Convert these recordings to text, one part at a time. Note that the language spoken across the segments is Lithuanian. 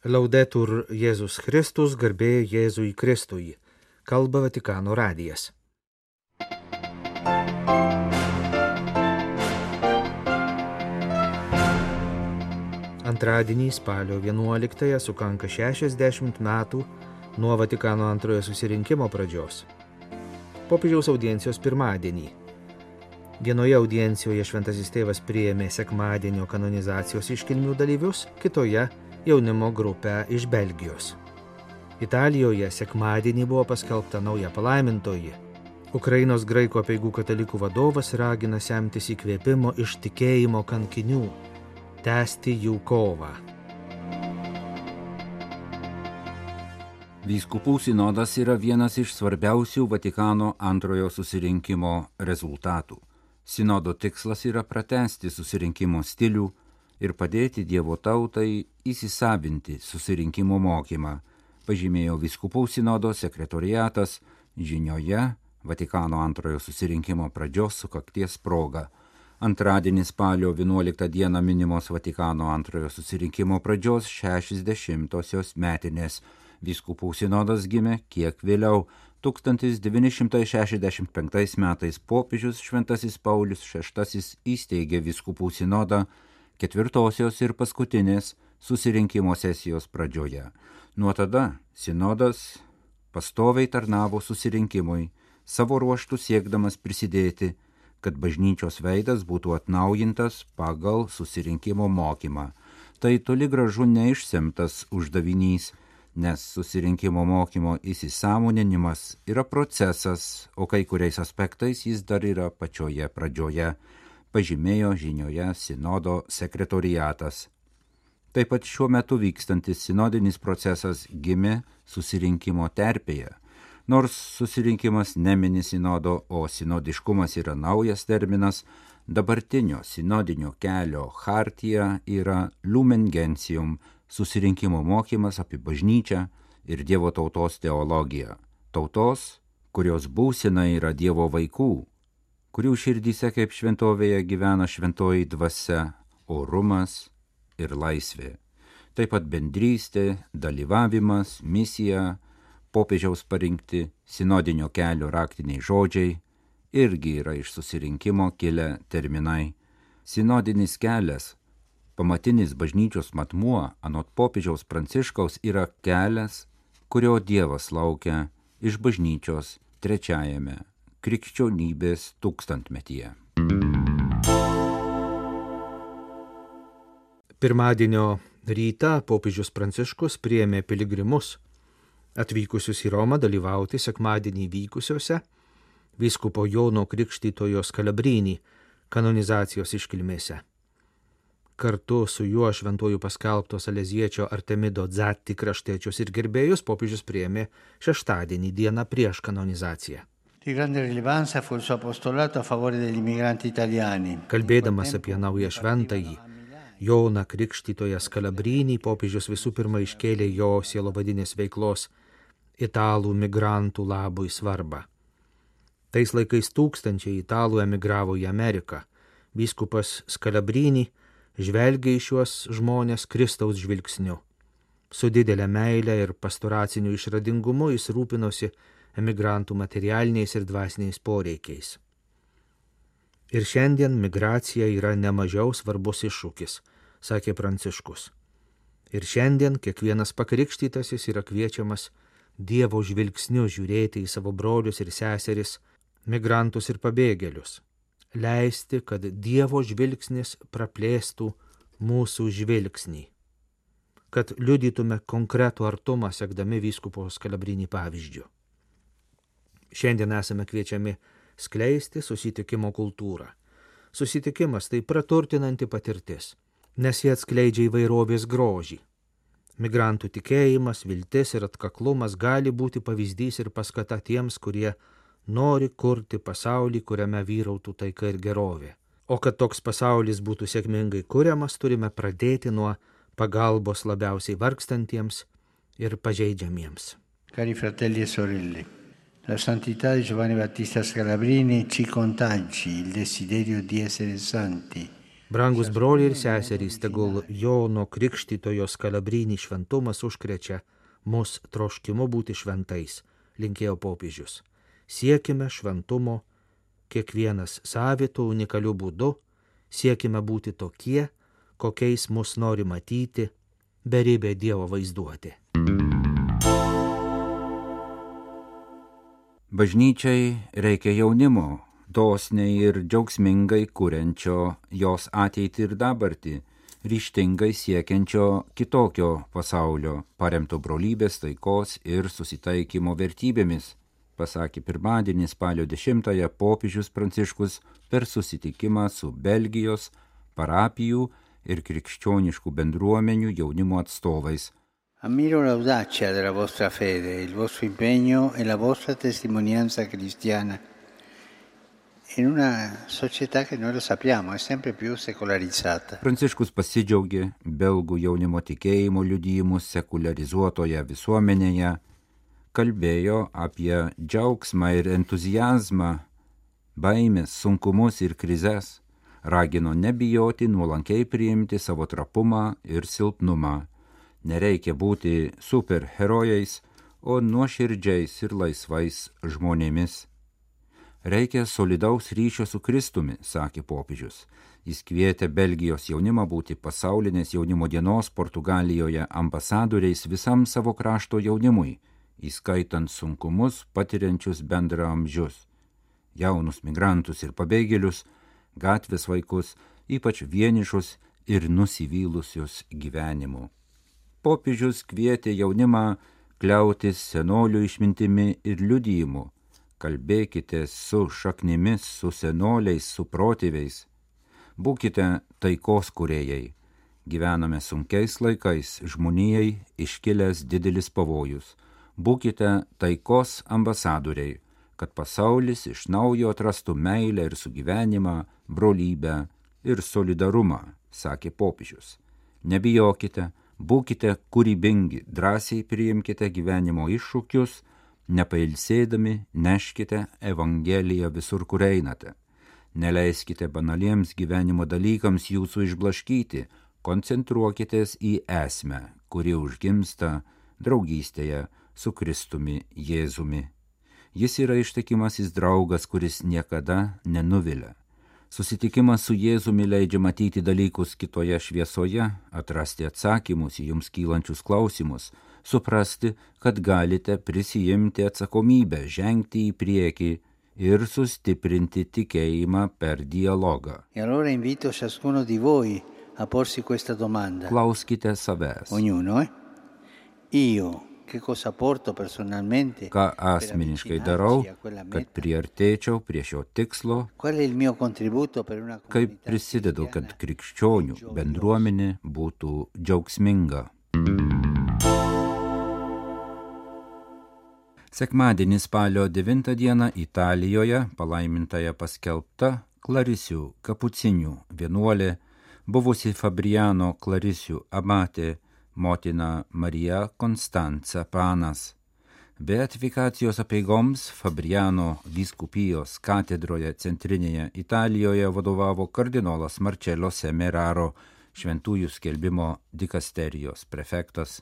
Laudetur Jėzus Kristus, garbė Jėzui Kristui. Kalba Vatikano radijas. Antradienį spalio 11-ąją sukanka 60 metų nuo Vatikano antrojo susirinkimo pradžios. Popiežiaus audiencijos pirmadienį. Vienoje audiencijoje šventasis tėvas priėmė sekmadienio kanonizacijos iškilmių dalyvius, kitoje jaunimo grupę iš Belgijos. Italijoje sekmadienį buvo paskelbta nauja palaimintoji. Ukrainos graikų apeigų katalikų vadovas ragina semtis įkvėpimo iš tikėjimo kankinių, tęsti jų kovą. Vyskupų sinodas yra vienas iš svarbiausių Vatikano antrojo susirinkimo rezultatų. Sinodo tikslas yra pratęsti susirinkimo stilių ir padėti Dievo tautai įsisavinti susirinkimo mokymą, pažymėjo Vyskupų sinodo sekretoriatas žinioje Vatikano antrojo susirinkimo pradžios sukakties proga. Antradienį spalio 11 dieną minimos Vatikano antrojo susirinkimo pradžios 60-osios metinės. Vyskupų sinodas gimė kiek vėliau. 1965 metais popiežius Šventasis Paulius VI įsteigė Vyskupų sinodą ketvirtosios ir paskutinės susirinkimo sesijos pradžioje. Nuo tada sinodas pastoviai tarnavo susirinkimui, savo ruožtų siekdamas prisidėti, kad bažnyčios veidas būtų atnaujintas pagal susirinkimo mokymą. Tai toli gražu neišsemtas uždavinys, nes susirinkimo mokymo įsisąmoninimas yra procesas, o kai kuriais aspektais jis dar yra pačioje pradžioje, pažymėjo žinioje sinodo sekretoriatas. Taip pat šiuo metu vykstantis sinodinis procesas gimė susirinkimo terpėje. Nors susirinkimas nemini sinodo, o sinodiškumas yra naujas terminas, dabartinio sinodinio kelio chartija yra Lumen Gentium, susirinkimo mokymas apie bažnyčią ir Dievo tautos teologiją. Tautos, kurios būsena yra Dievo vaikų, kurių širdyse kaip šventovėje gyvena šventoji dvasia, orumas ir laisvė. Taip pat bendrystė, dalyvavimas, misija, popiežiaus parinkti sinodinio kelio raktiniai žodžiai irgi yra iš susirinkimo kilę terminai. Sinodinis kelias, pamatinis bažnyčios matmuo, anot popiežiaus Pranciškaus, yra kelias, kurio Dievas laukia iš bažnyčios trečiajame krikščionybės tūkstantmetyje. Pirmadienio rytą popiežius Pranciškus priėmė piligrimus, atvykusius į Romą dalyvauti sekmadienį vykusiuose vyskupo Jono Krikštytojo Scalabrini kanonizacijos iškilmėse. Kartu su juo šventuoju paskelbto Saleziečio Artemido Zatti kraštiečius ir gerbėjus popiežius priėmė šeštadienį dieną prieš kanonizaciją. Di grande rilevanza fu il suo apostolato a favore degli immigranti italiani. Kalbėdamas apie naują šventąjį Joną Krikštytoją Scalabrini, popiežius visų pirma iškėlė jo sielovadinės veiklos italų migrantų labui svarbą. Tais laikais tūkstančiai italų emigravo į Ameriką. Vyskupas Scalabrini žvelgia į šiuos žmonės Kristaus žvilgsniu. Su didelė meile ir pastoraciniu išradingumu jis rūpinosi emigrantų materialiniais ir dvasiniais poreikiais. Ir šiandien migracija yra nemažiau svarbus iššūkis, sakė Pranciškus. Ir šiandien kiekvienas pakrikštytasis yra kviečiamas Dievo žvilgsniu žiūrėti į savo brolius ir seseris, migrantus ir pabėgėlius. Leisti, kad Dievo žvilgsnis praplėstų mūsų žvilgsnį. Kad liudytume konkretų artumą sekdami vyskupo Scalabrini pavyzdžiu. Šiandien esame kviečiami skleisti susitikimo kultūrą. Susitikimas tai praturtinanti patirtis, nes jie atskleidžia įvairovės grožį. Migrantų tikėjimas, viltis ir atkaklumas gali būti pavyzdys ir paskata tiems, kurie nori kurti pasaulį, kuriame vyrautų taika ir gerovė. O kad toks pasaulis būtų sėkmingai kuriamas, turime pradėti nuo pagalbos labiausiai vargstantiems ir pažeidžiamiems. Cari fratelli e sorelle, la santità di Giovanni Battista Scalabrini ci contagi il desiderio di essere santi, Brangus broliai ir seserys, tegul Jono Krikštytojo Skalabrinį šventumas užkrečia mus troškimu būti šventais, linkėjo popiežius. Siekime šventumo kiekvienas savitų unikalių būdų, siekime būti tokie, kokiais mus nori matyti beribė Dievo vaizduotė. Bažnyčiai reikia jaunimo, dosniai ir džiaugsmingai kuriančio jos ateitį ir dabartį, ryžtingai siekiančio kitokio pasaulio, paremto brolybės, taikos ir susitaikymo vertybėmis, pasakė pirmadienį spalio 10-ąją popiežius Pranciškus per susitikimą su Belgijos, parapijų ir krikščioniškų bendruomenių jaunimo atstovais. Ammiro l'audacia della vostra fede, il vostro impegno e la vostra testimonianza cristiana in una società che noi lo sappiamo è sempre più secolarizzata. Pranciškus pasidžiaugė belgų jaunimo tikėjimo liudijimus sekularizuotoje visuomenėje, kalbėjo apie džiaugsmą ir entuziazmą, baimės, sunkumus ir krizes, ragino nebijoti, nuolankiai priimti savo trapumą ir silpnumą. Nereikia būti superherojais, o nuoširdžiais ir laisvais žmonėmis. Reikia solidaus ryšio su Kristumi, sakė popiežius. Jis kvietė Belgijos jaunimą būti pasaulinės jaunimo dienos Portugalijoje ambasadoriais visam savo krašto jaunimui, įskaitant sunkumus patiriančius bendraamžius, jaunus migrantus ir pabėgėlius, gatvės vaikus, ypač vienišus ir nusivylusius gyvenimu. Popiežius kvietė jaunimą kliautis senolių išmintimi ir liudijimu. Kalbėkite su šaknimis, su senoliais, su protėviais. Būkite taikos kūrėjai. Gyvename sunkiais laikais, žmonijai iškilęs didelis pavojus. Būkite taikos ambasadoriai, kad pasaulis iš naujo atrastų meilę ir sugyvenimą, brolybę ir solidarumą, sakė popiežius. Nebijokite, būkite kūrybingi, drąsiai priimkite gyvenimo iššūkius, nepailsėdami neškite Evangeliją visur, kur einate. Neleiskite banaliems gyvenimo dalykams jūsų išblaškyti, koncentruokitės į esmę, kuri užgimsta draugystėje su Kristumi Jėzumi. Jis yra ištikimasis draugas, kuris niekada nenuvilia. Susitikimas su Jėzumi leidžia matyti dalykus kitoje šviesoje, atrasti atsakymus į jums kylančius klausimus, suprasti, kad galite prisijimti atsakomybę, žengti į priekį ir sustiprinti tikėjimą per dialogą. E allora invito ciascuno di voi a porsi questa domanda. Klauskite savęs. Ognuno, Io che cosa porto personalmente? Ką asmeniškai darau, kad priartėčiau prie šio tikslo, Qual è il mio contributo per una kaip comunità prisidedu, kad cristiana? krikščionių bendruomenė būtų džiaugsminga. Sekmadienį spalio 9 dieną Italijoje palaimintąją paskelbta Klarisių kapucinių vienuolė, buvusi Fabriano Klarisių abatė motina Marija Konstanca Panas. Beatifikacijos apeigoms Fabriano vyskupijos katedroje centrinėje Italijoje vadovavo kardinolas Marcello Semeraro, šventųjų skelbimo dikasterijos prefektas.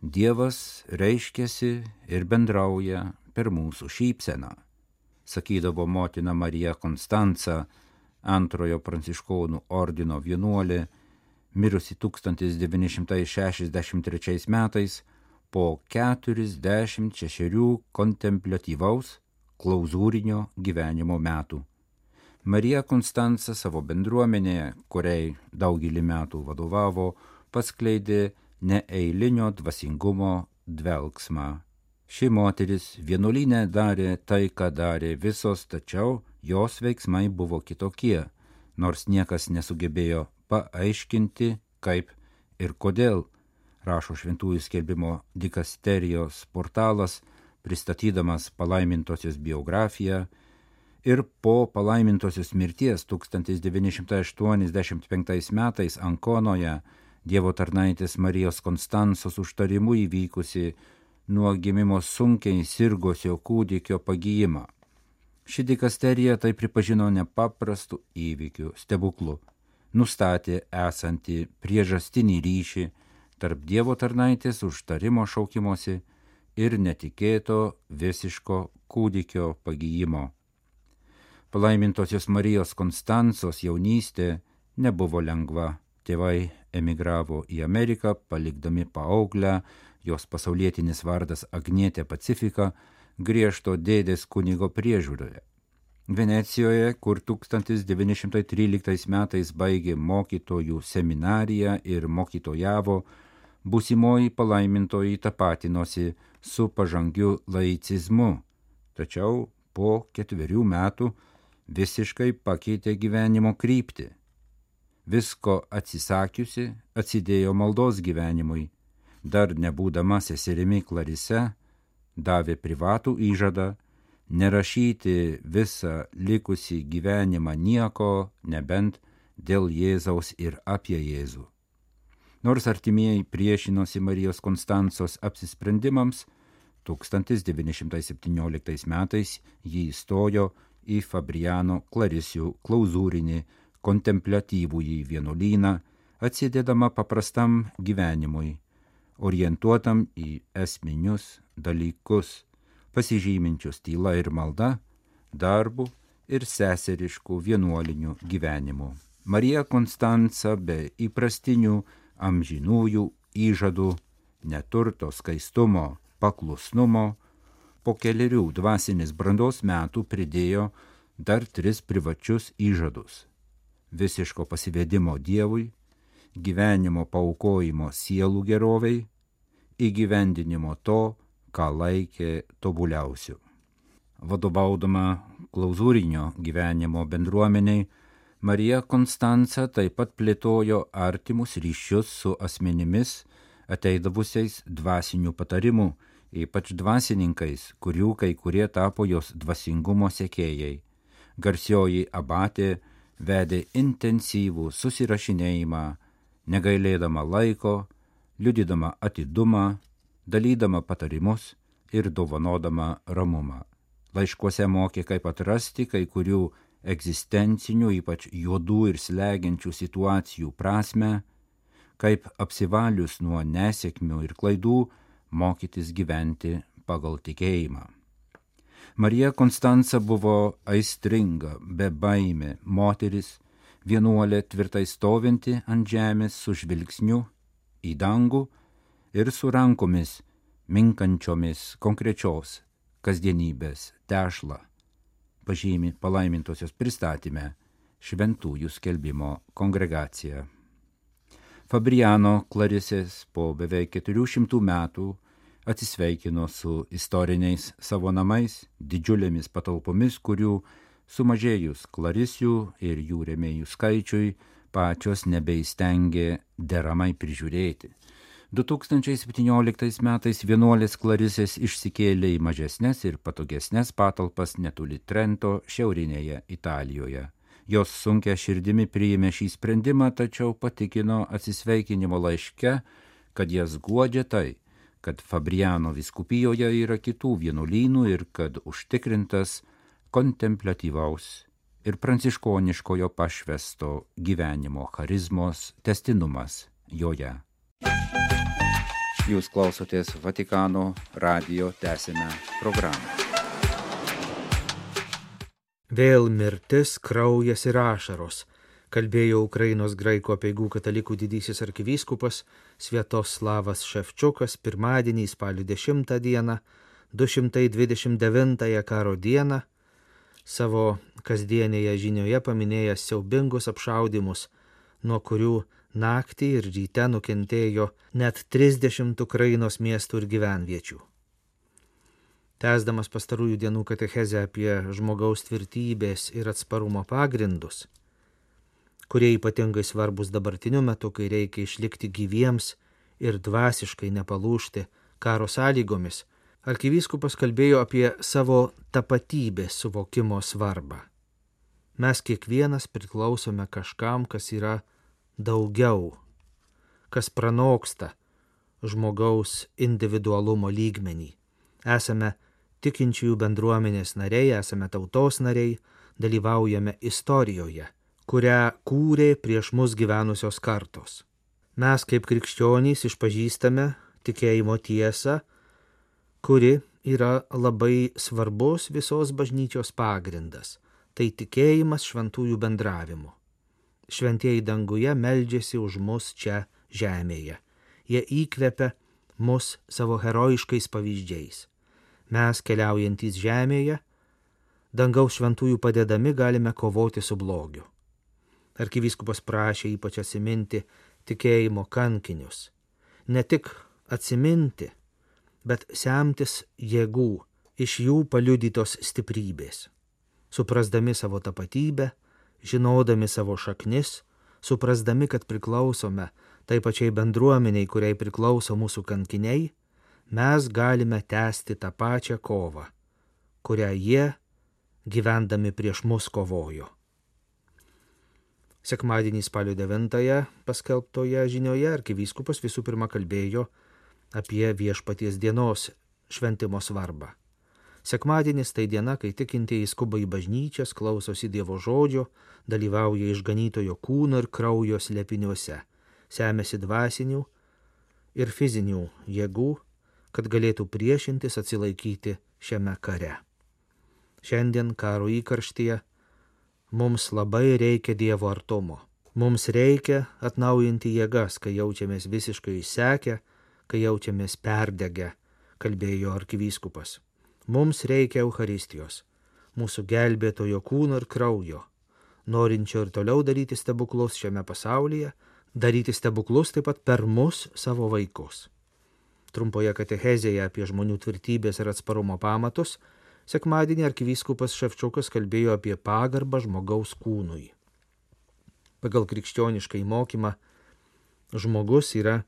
Dievas reiškiasi ir bendrauja per mūsų šypseną, sakydavo motina Marija Konstanca, antrojo pranciškonų ordino vienuolė, mirusi 1963 metais po 46 kontempliatyvaus klauzūrinio gyvenimo metų. Marija Konstanca savo bendruomenėje, kuriai daugelį metų vadovavo, paskleidė neeilinio dvasingumo dvelksmą. Ši moteris vienuolyne darė tai, ką darė visos, tačiau jos veiksmai buvo kitokie, nors niekas nesugebėjo paaiškinti, kaip ir kodėl, rašo šventųjų skelbimo dikasterijos portalas, pristatydamas palaimintosios biografiją, ir po palaimintosios mirties 1985 metais Ankonoje Dievo tarnaitės Marijos Konstansos užtarimu įvykusi nuo gimimo sunkiai sirgusio kūdikio pagijimą. Ši dikasterija tai pripažino nepaprastu įvykiu, stebuklu. nustatė esantį priežastinį ryšį tarp Dievo tarnaitės užtarimo šaukimosi ir netikėto visiško kūdikio pagijimo. Palaimintosios Marijos Konstancos jaunystė nebuvo lengva. Tėvai emigravo į Ameriką, palikdami paauglę, jos pasaulietinis vardas Agnietė Pacifika, griežto dėdės kunigo priežiūroje. Venecijoje, kur 1913 metais baigė mokytojų seminariją ir mokytojavo, būsimoji palaimintoji tapatinosi su pažangiu laicizmu, tačiau po 4 metų visiškai pakeitė gyvenimo kryptį. Visko atsisakiusi, atsidėjo maldos gyvenimui. Dar nebūdama seserimi Klarise, davė privatų įžadą nerašyti visą likusį gyvenimą nieko, nebent dėl Jėzaus ir apie Jėzų. Nors artimieji priešinosi Marijos Konstancos apsisprendimams, 1917 metais ji įstojo į Fabriano Klarisių klauzūrinį kontempliatyvųjį vienuolyną, atsidėdama paprastam gyvenimui, orientuotam į esminius dalykus, pasižyminčius tyla ir malda, darbu ir seseriškų vienuolinių gyvenimų. Marija Konstanca be įprastinių amžinųjų įžadų, neturto, skaistumo, paklusnumo, po 4 dvasinės brandos metų pridėjo dar 3 privačius įžadus: visiško pasivedimo Dievui, gyvenimo paaukojimo sielų geroviai, įgyvendinimo to, ką laikė tobuliausiu. Vadovaudama klauzūrinio gyvenimo bendruomeniai, Marija Konstanca taip pat plėtojo artimus ryšius su asmenimis, ateidavusiais dvasinių patarimų, ypač dvasininkais, kurių kai kurie tapo jos dvasingumo sekėjai. Garsioji abatė vedė intensyvų susirašinėjimą, negailėdama laiko, liudydama atidumą, dalydama patarimus ir dovanodama ramumą. Laiškuose mokė, kaip atrasti kai kurių egzistencinių, ypač juodų ir slegiančių situacijų prasmę, kaip apsivalius nuo nesėkmių ir klaidų mokytis gyventi pagal tikėjimą. Marija Konstanca buvo aistringa, bebaimė moteris, vienuolė tvirtai stovinti ant žemės su žvilgsniu į dangų ir su rankomis minkančiomis konkrečios kasdienybės tešlą, pažymi Palaimintosios pristatyme Šventųjų skelbimo kongregacija. Fabriano Klarisės po beveik 400 metų atsisveikino su istoriniais savo namais, didžiulėmis patalpomis, kurių sumažėjus Klarisių ir jų rėmėjų skaičiui pačios nebeįstengė deramai prižiūrėti. 2017 metais vienuolės Klarisės išsikėlė į mažesnes ir patogesnes patalpas netoli Trento, šiaurinėje Italijoje. Jos sunkia širdimi priėmė šį sprendimą, tačiau patikino atsisveikinimo laiške, kad jas guodžia tai, kad Fabriano vyskupijoje yra kitų vienuolynų ir kad užtikrintas kontempliatyvaus ir pranciškoniškojo pašvesto gyvenimo charizmos tęstinumas joje. Jūs klausotės Vatikano radijo tęsiame programą. Vėl mirtis, kraujas ir ašaros, kalbėjo Ukrainos graikų apeigų katalikų didysis arkivyskupas Sviatoslavas Ševčiukas pirmadienį spalio 10 dieną, 229 karo dieną, savo kasdienėje žinioje paminėjęs siaubingus apšaudymus, nuo kurių naktį ir ryte nukentėjo net 30 Ukrainos miestų ir gyvenviečių. Tęsdamas pastarųjų dienų katechezę apie žmogaus tvirtybės ir atsparumo pagrindus, kurie ypatingai svarbus dabartiniu metu, kai reikia išlikti gyviems ir dvasiškai nepalūžti karo sąlygomis, arkivyskupas kalbėjo apie savo tapatybės suvokimo svarbą. Mes kiekvienas priklausome kažkam, kas yra daugiau, kas pranoksta žmogaus individualumo lygmenį. Esame tikinčiųjų bendruomenės nariai, esame tautos nariai, dalyvaujame istorijoje, kurią kūrė prieš mus gyvenusios kartos. Mes kaip krikščionys išpažįstame tikėjimo tiesą, kuri yra labai svarbus visos bažnyčios pagrindas. Tai tikėjimas šventųjų bendravimu. Šventieji danguje meldžiasi už mus čia žemėje. Jie įkvepia mus savo herojiškais pavyzdžiais. Mes, keliaujantys žemėje, dangaus šventųjų padedami galime kovoti su blogiu. Arkivyskupas prašė ypač atsiminti tikėjimo kankinius. Ne tik atsiminti, bet semtis jėgų iš jų paliudytos stiprybės. Suprasdami savo tapatybę, žinodami savo šaknis, suprasdami, kad priklausome tai pačiai bendruomeniai, kuriai priklauso mūsų kankiniai, mes galime tęsti tą pačią kovą, kurią jie, gyvendami prieš mus, kovojo. Sekmadienį spalio 9 paskelbtoje žinioje arkivyskupas visų pirma kalbėjo apie Viešpaties dienos šventimo svarbą. Sekmadienis tai diena, kai tikintieji skuba į bažnyčias, klausosi Dievo žodžio, dalyvauja išganytojo kūno ir kraujo slėpiniuose, semiasi dvasinių ir fizinių jėgų, kad galėtų priešintis, atsilaikyti šiame kare. Šiandien karo įkarštyje mums labai reikia Dievo artumo. Mums reikia atnaujinti jėgas, kai jaučiamės visiškai išsekę, kai jaučiamės perdegę, kalbėjo arkivyskupas. Mums reikia Eucharistijos, mūsų gelbėtojo kūno ir kraujo, norinčio ir toliau daryti stebuklus šiame pasaulyje, daryti stebuklus taip pat per mus, savo vaikus. Trumpoje katechezėje apie žmonių tvirtybės ir atsparumo pamatus sekmadienį arkivyskupas Ševčiukas kalbėjo apie pagarbą žmogaus kūnui. Pagal krikščionišką mokymą žmogus yra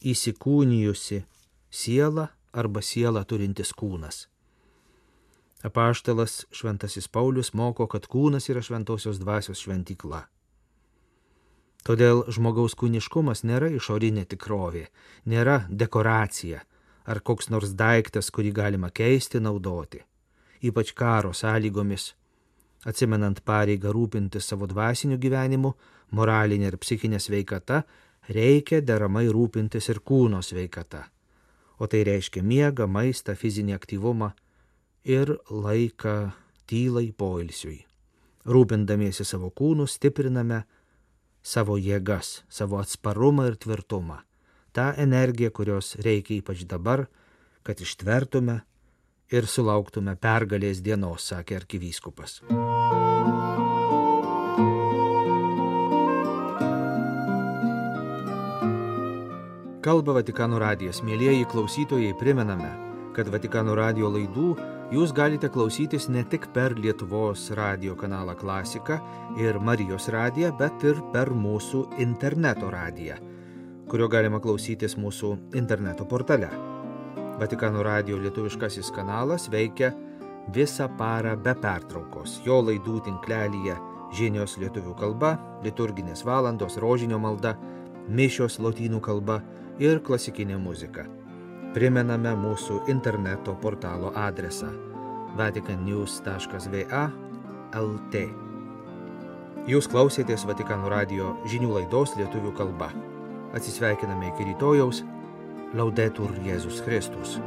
įsikūnijusi siela arba siela turintis kūnas. Apaštalas Šventasis Paulius moko, kad kūnas yra šventosios dvasios šventykla. Todėl žmogaus kūniškumas nėra išorinė tikrovė, nėra dekoracija ar koks nors daiktas, kurį galima keisti, naudoti. Ypač karo sąlygomis, atsimenant pareigą rūpintis savo dvasiniu gyvenimu, moralinė ir psichinė sveikata, reikia deramai rūpintis ir kūno sveikata. O tai reiškia miegą, maistą, fizinį aktyvumą ir laiką tylai poilsiui. Rūpindamiesi savo kūnu stipriname savo jėgas, savo atsparumą ir tvirtumą. Ta energija, kurios reikia ypač dabar, kad ištvertume ir sulauktume pergalės dienos, sakė arkivyskupas. Kalba Vatikano radijas. Mielieji klausytojai, primename, kad Vatikano radijo laidų jūs galite klausytis ne tik per Lietuvos radijo kanalą Klasika ir Marijos radiją, bet ir per mūsų interneto radiją, kurio galima klausytis mūsų interneto portale. Vatikano radijo lietuviškasis kanalas veikia visą parą be pertraukos. Jo laidų tinklelyje žinios lietuvių kalba, liturginės valandos, rožinio malda, mišios lotynų kalba ir klasikinė muzika. Primename mūsų interneto portalo adresą vaticannews.va/lt. Jūs klausėtės Vatikano radijo žinių laidos lietuvių kalba. Atsisveikiname iki rytojaus. Laudetur Jėzus Kristus.